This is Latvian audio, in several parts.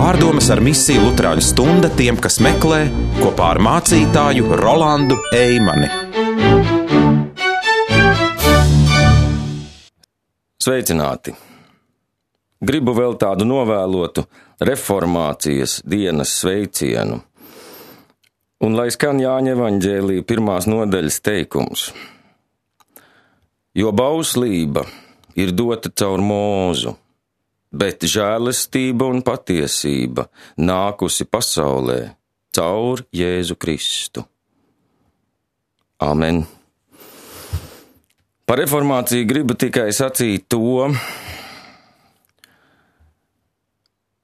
Pārdomas ar misiju Luterāņu stunda tiem, kas meklē, kopā ar mācītāju Rolandu Eimani. Sveicināti! Gribu vēl tādu novēlotu reformācijas dienas sveicienu. Un lai skan Jāņa evaņģēlija 1. nodaļas teikums. Jo bauslība ir dota caur Mūzu, bet žēlastība un patiesība nākusi pasaulē caur Jēzu Kristu. Amen. Par reformāciju gribu tikai sacīt to,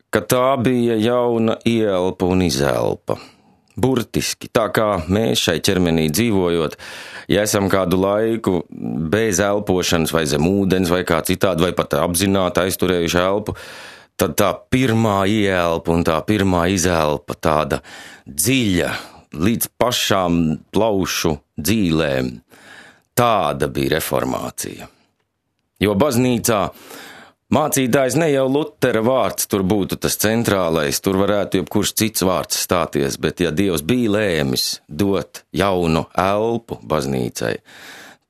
ka tā bija jauna ielpa un izelpa. Burtiski, tā kā mēs šai ķermenī dzīvojot, ja esam kādu laiku bez elpošanas vai zem ūdens vai kā citādi, vai pat apzināti aizturējuši elpu, tad tā pirmā ielpa un tā pirmā izelpa tāda dziļa līdz pašām plaušu dzīlēm. Tāda bija reformācija. Jo baznīcā mācītājs ne jau Lutera vārds tur būtu tas centrālais, tur varētu jebkurš cits vārds stāties, bet ja Dievs bija lēmis dot jaunu elpu baznīcai,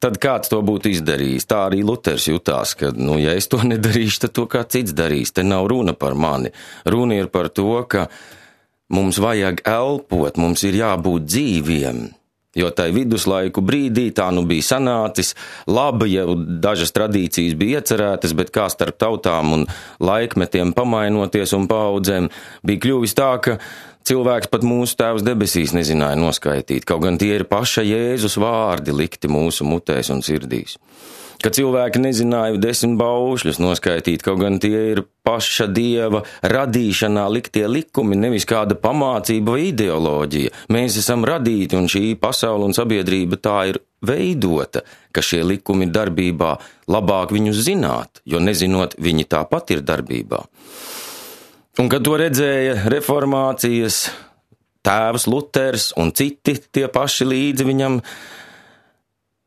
tad kāds to būtu izdarījis? Tā arī Luters jutās, ka, ja es to nedarīšu, tad to kā cits darīs. Te nav runa par mani. Runa ir par to, ka mums vajag elpot, mums ir jābūt dzīviem. Jo tai viduslaiku brīdī tā bija sanācis, labi, jau dažas tradīcijas bija iecerētas, bet kā starp tautām un laikmetiem pamainoties un paudzēm, bija kļuvis tā, ka cilvēks pat mūsu Tēvs debesīs nezināja noskaitīt, kaut gan tie ir paša Jēzus vārdi likti mūsu mutēs un sirdīs. Ka cilvēki nezināja 10 baušļus noskaitīt, kaut gan tie ir paša Dieva radīšanā liktie likumi, nevis kāda pamācība vai ideoloģija. Mēs esam radīti, un šī pasaule un sabiedrība tā ir veidota, ka šie likumi ir darbībā, labāk viņus zināt, jo nezinot, viņi tāpat ir darbībā. Un kad to redzēja reformācijas tēvs Luters un citi tie paši līdzi viņam,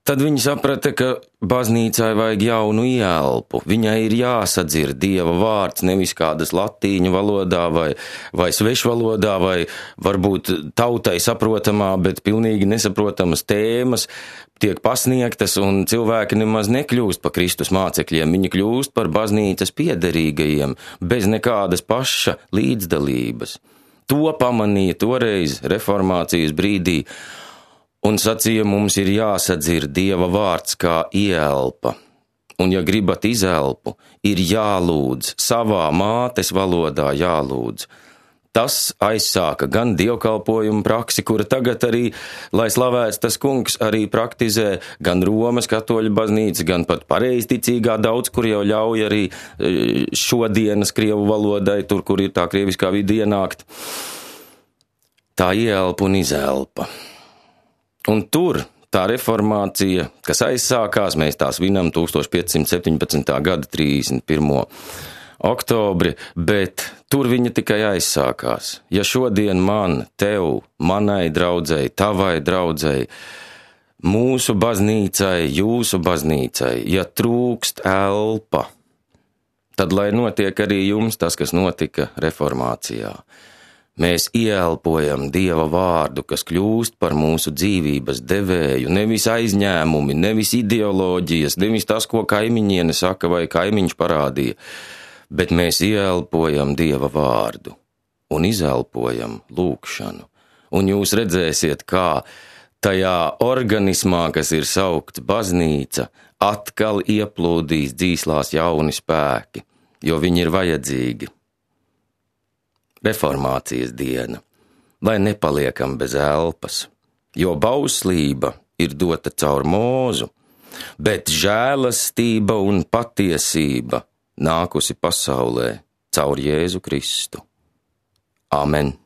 tad viņi saprata, ka baznīcai vajag jaunu ielpu. Viņai ir jāsadzird Dieva vārds, nevis kādas latīņu valodā vai svešvalodā, vai varbūt tautai saprotamā, bet pilnīgi nesaprotamas tēmas tiek pasniegtas, un cilvēki nemaz nekļūst par Kristus mācekļiem. Viņi kļūst par baznīcas piederīgajiem, bez nekādas paša līdzdalības. To pamanīja toreiz reformācijas brīdī, un sacīja, mums ir jāsadzird Dieva vārds kā ielpa. Un ja gribat izelpu, ir jālūdz, savā mātes valodā jālūdz. Tas aizsāka gan dievkalpojumu praksi, kura tagad arī, lai slavēts tas kungs, arī praktizē gan Romas katoļu baznīca, gan pat pareizticīgā daudz, kur jau ļauj arī šodienas krievu valodai, tur, kur ir tā krieviskā vide ienākt. Tā ielpa un izelpa. Un tur tā reformācija, kas aizsākās, mēs tās vinam 1517. gada 31. oktobri, bet tur viņa tikai aizsākās. Ja šodien man, tev, manai draudzei, tavai draudzei, mūsu baznīcai, jūsu baznīcai, ja trūkst elpa, tad lai notiek arī jums tas, kas notika reformācijā. Mēs ieelpojam Dieva vārdu, kas kļūst par mūsu dzīvības devēju, nevis aizņēmumi, nevis ideoloģijas, nevis tas, ko kaimiņiene saka vai kaimiņš parādīja, bet mēs ieelpojam Dieva vārdu un izelpojam lūgšanu. Un jūs redzēsiet, kā tajā organismā, kas ir saukts baznīca, atkal ieplūdīs dzīslās jauni spēki, jo viņi ir vajadzīgi. Reformācijas diena, lai nepaliekam bez elpas, jo bauslība ir dota caur Mūzu, bet žēlastība un patiesība nākusi pasaulē caur Jēzu Kristu. Amen.